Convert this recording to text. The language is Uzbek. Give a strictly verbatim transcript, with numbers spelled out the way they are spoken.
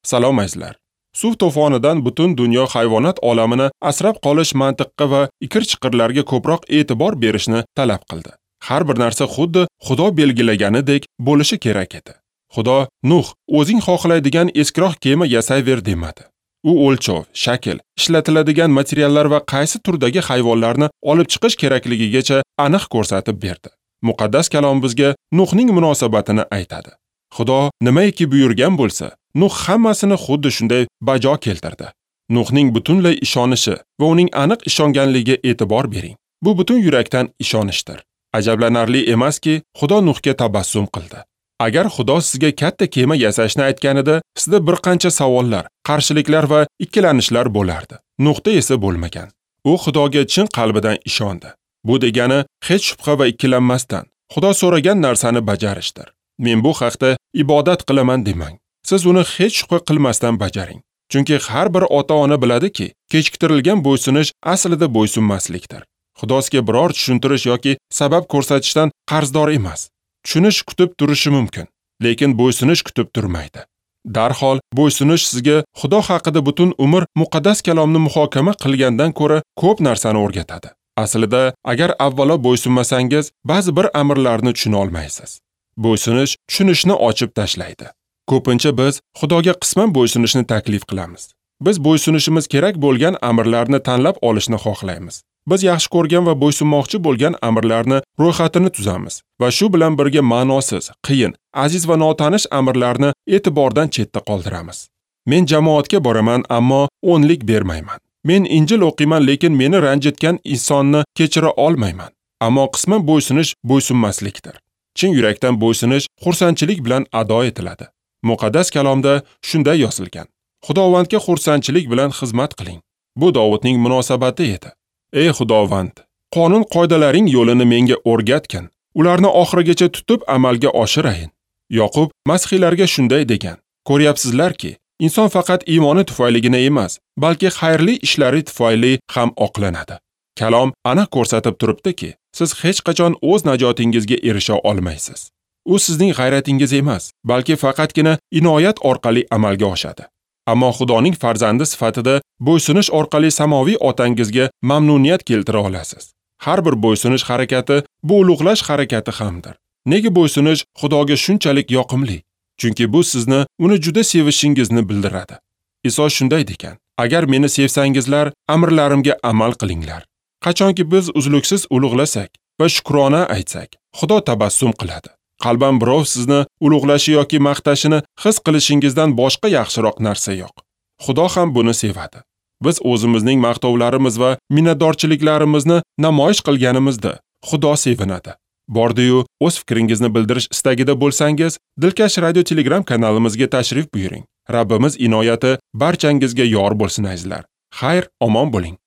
Salom azizlar. Suv to'fonidan butun dunyo hayvonot olamini asrab qolish mantiqqa va ikir-chiqirlarga ko'proq e'tibor berishni talab qildi. Har bir narsa xuddi Xudo belgilaganidek bo'lishi kerak edi. Xudo Nuh, o'zing xohlaydigan eskiroq kema yasayver demadi. U o'lchov, shakl, ishlatiladigan materiallar va qaysi turdagi hayvonlarni olib chiqish kerakligigacha aniq ko'rsatib berdi. Muqaddas kalom bizga Nuhning munosabatini aytadi. Xudo nimaiki buyurgan bo'lsa, Nuh hammasini xuddi shunday bajo keltirdi. Nuhning butunlay ishonishi va uning aniq ishonganligiga e'tibor bering. Bu butun yurakdan ishonishdir. Ajablanarli emaski, Xudo Nuhga tabassum qildi. Agar Xudo sizga katta kema yasashni aytganida, sizda bir qancha savollar, qarshiliklar va ikkilanishlar bo'lardi. Nuhda esa bo'lmagan. U Xudoga chin qalbidan ishondi. Bu degani hech shubha va ikkilanmasdan Xudo so'ragan narsani bajarishdir. Men bu haqda ibodat qilaman demang. Siz uni hech shubha qilmasdan bajaring. Chunki har bir ota-ona biladiki, kechiktirilgan bo'ysunish aslida bo'ysunmaslikdir. Xudo sizga biror tushuntirish yoki sabab ko'rsatishdan qarzdor emas. Tushunish kutib turishi mumkin, lekin bo'ysunish kutib turmaydi. Darhol bo'ysunish sizga Xudo haqida butun umr muqaddas kalomni muhokama qilgandan ko'ra ko'p narsani o'rgatadi. Aslida, agar avvalo bo'ysunmasangiz, ba'zi bir amrlarni tushuna olmaysiz. Bo'ysunish tushunishni ochib tashlaydi. Ko'pincha biz Xudoga qisman bo'ysunishni taklif qilamiz. Biz bo'ysunishimiz kerak bo'lgan amrlarni tanlab olishni xohlaymiz. Biz yaxshi ko'rgan va bo'ysunmoqchi bo'lgan amrlarni ro'yxatini tuzamiz va shu bilan birga ma'nosiz, qiyin, aziz va notanish amrlarni e'tibordan chetda qoldiramiz. Men jamoatga boraman, ammo o'nlik bermayman. Men Injil o'qiyman, lekin meni ranjitgan insonni kechira olmayman. Ammo qisman bo'ysunish bo'ysunmaslikdir. Chin yurakdan bo'ysunish xursandchilik bilan ado etiladi. Muqaddas kalomda shunday yozilgan: Xudovandga xursandchilik bilan xizmat qiling. Bu Dovudning munosabati edi. Ey Xudovand, qonun qoidalaring yo'lini menga o'rgatgin. Ularni oxirigacha tutib amalga oshirayin. Yoqub masihiylarga shunday degan: Ko'ryapsizlarki, inson faqat iymoni tufayligina emas, balki xayrli ishlari tufayli ham oqlanadi. Kalom aniq ko'rsatib turibdiki, siz hech qachon o'z najotingizga erisha olmaysiz. U sizning g'ayratingiz emas, balki faqatgina inoyat orqali amalga oshadi. Ammo Xudoning farzandi sifatida bo'ysunish orqali samoviy otangizga mamnuniyat keltira olasiz. Har bir bo'ysunish harakati bu ulug'lash harakati hamdir. Nega bo'ysunish Xudoga shunchalik yoqimli? Chunki bu sizni uni juda sevishingizni bildiradi. Iso shunday degan: Agar meni sevsangizlar, amrlarimga amal qilinglar. Qachonki biz uzluksiz ulug'lasak va shukrona aytsak, Xudo tabassum qiladi. Qalban birov sizni ulug'lashi yoki maqtashini his qilishingizdan boshqa yaxshiroq narsa yo'q. Xudo ham buni sevadi. Biz o'zimizning maqtovlarimiz va minnatdorchiliklarimizni namoyish qilganimizda Xudo sevinadi. Bordi-yu, o'z fikringizni bildirish istagida bo'lsangiz, Dilkash Radio Telegram kanalimizga tashrif buyuring. Rabbimiz inoyati barchangizga yor bo'lsin azizlar. Xayr, omon bo'ling.